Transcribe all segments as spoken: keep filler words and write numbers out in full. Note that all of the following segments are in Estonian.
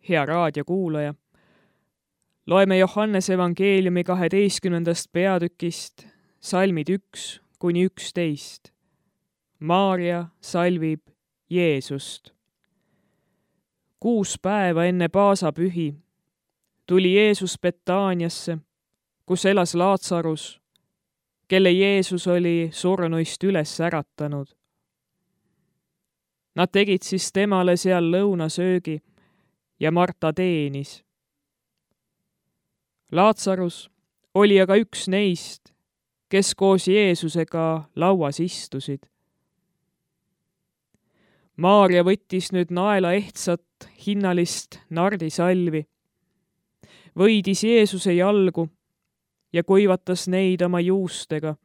hea raadiokuulaja. Loeme Johannese evangeeliumi kaheteistkümnendast peatükist salmid üks kuni üksteist. Maarja salvib Jeesust. Kuus päeva enne paasapühi tuli Jeesus Betaaniasse, kus elas Laatsarus, kelle Jeesus oli surnuist üles äratanud. Nad tegid siis temale seal lõunasöögi ja Marta teenis. Laatsarus oli aga üks neist, kes koos Jeesusega lauas istusid. Maarja võttis nüüd naela ehtsat hinnalist nardisalvi, võidis Jeesuse jalgu ja kuivatas neid oma juustega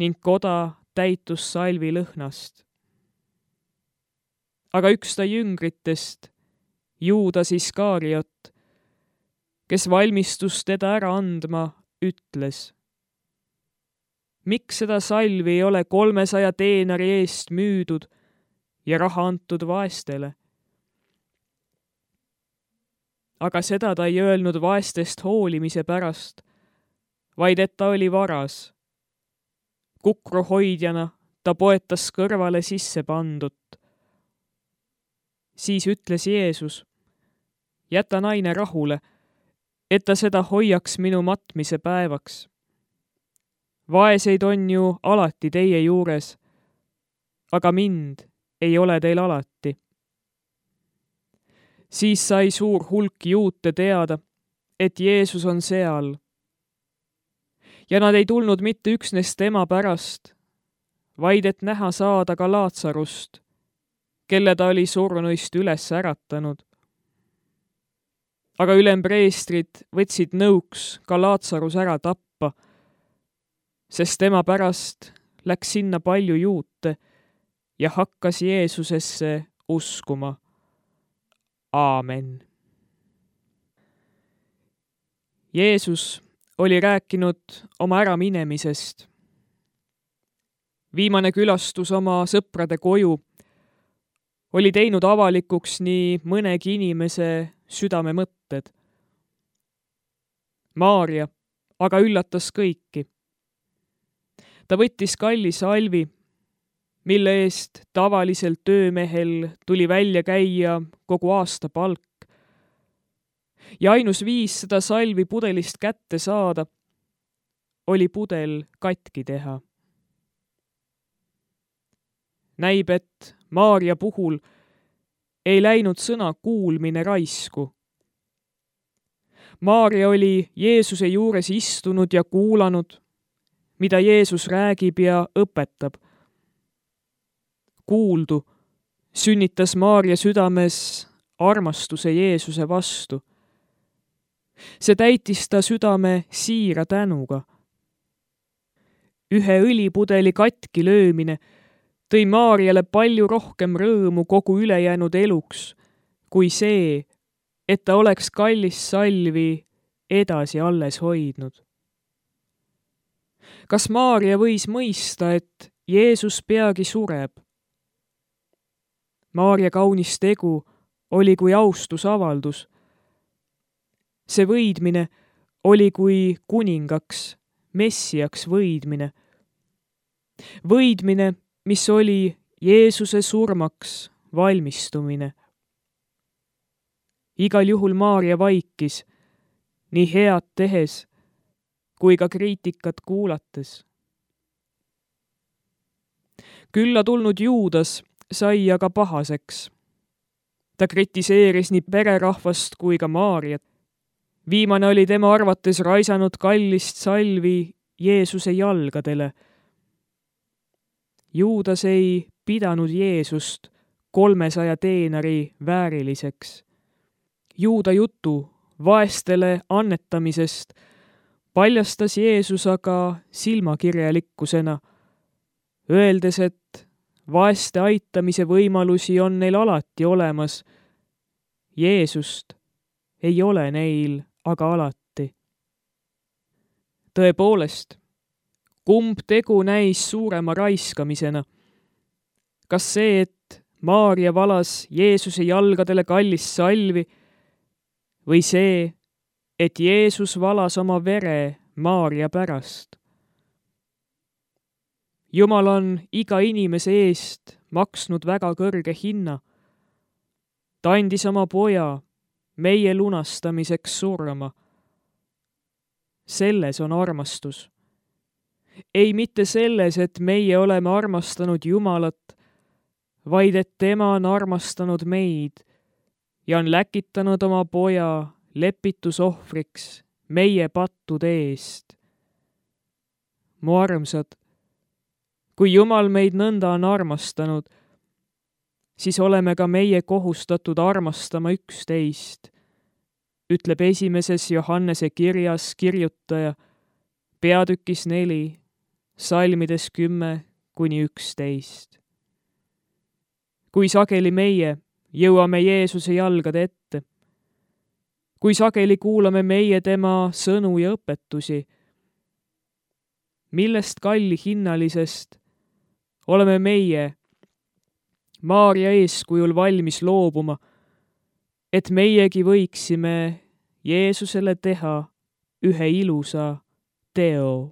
ning koda täitus salvi lõhnast. Aga üks ta jüngritest, Juudas Iskariot, kes valmistus teda ära andma, ütles: miks seda salvi ei ole kolmesaja teenari eest müüdud ja raha antud vaestele? Aga seda ta ei öelnud vaestest hoolimise pärast, vaid et ta oli varas. Kukruhoidjana ta poetas kõrvale sisse pandut. Siis ütles Jeesus: jäta naine rahule, et ta seda hoiaks minu matmise päevaks. Vaeseid on ju alati teie juures, aga mind ei ole teil alati. Siis sai suur hulk juute teada, et Jeesus on seal. Ja nad ei tulnud mitte üksnes tema pärast, vaid et näha saada ka Laatsarust, kelle ta oli surnuist üles äratanud. Aga ülempreestrid võtsid nõuks ka Laatsarus ära tappa, sest tema pärast läks sinna palju juute ja hakkas Jeesusesse uskuma. Aamen. Jeesus oli rääkinud oma äraminemisest. Viimane külastus oma sõprade koju oli teinud avalikuks nii mõnegi inimese südame mõtted. Maarja aga üllatas kõiki. Ta võttis kalli salvi, mille eest tavaliselt töömehel tuli välja käia kogu aasta palk. Ja ainus viis seda salvi pudelist kätte saada oli pudel katki teha. Näib, et Maarja puhul ei läinud sõna kuulmine raisku. Maarja oli Jeesuse juures istunud ja kuulanud, mida Jeesus räägib ja õpetab. Kuuldu sünnitas Maarja südames armastuse Jeesuse vastu. See täitis ta südame siira tänuga. Ühe õlipudeli katki löömine tõi Maarjale palju rohkem rõõmu kogu ülejäänud eluks, kui see, et ta oleks kallist salvi edasi alles hoidnud. Kas Maarja võis mõista, et Jeesus peagi sureb? Maarja kaunis tegu oli kui austusavaldus. See võidmine oli kui kuningaks, messiaks võidmine. Võidmine, mis oli Jeesuse surmaks valmistumine. Igal juhul Maarja vaikis, nii head tehes, kui ka kriitikat kuulates. Külla tulnud Juudas sai aga pahaseks. Ta kritiseeris nii pererahvast kui ka Maarjat. Viimane oli tema arvates raisanud kallist salvi Jeesuse jalgadele. Juudas ei pidanud Jeesust kolmesaja teenari vääriliseks. Juuda jutu vaestele annetamisest paljastas Jeesus aga silmakirjalikkusena, öeldes, et vaeste aitamise võimalusi on neil alati olemas. Jeesust ei ole neil aga alati. Tõepoolest, kumb tegu näis suurema raiskamisena? Kas see, et Maarja valas Jeesuse jalgadele kallist salvi või see, et Jeesus valas oma vere Maarja pärast. Jumal on iga inimese eest maksnud väga kõrge hinna. Ta andis oma poja meie lunastamiseks surma. Selles on armastus. Ei mitte selles, et meie oleme armastanud Jumalat, vaid et tema on armastanud meid ja on läkitanud oma poja lepitusohvriks meie pattude eest. Mu armsad, kui Jumal meid nõnda on armastanud, siis oleme ka meie kohustatud armastama üksteist, ütleb esimeses Johannese kirjas kirjutaja, peatükis neli, salmides kümme kuni üksteist. Kui sageli meie jõuame Jeesuse jalgade ette, kui sageli kuulame meie tema sõnu ja õpetusi, millest kalli hinnalisest oleme meie Maarja eeskujul valmis loobuma, et meiegi võiksime Jeesusele teha ühe ilusa teo.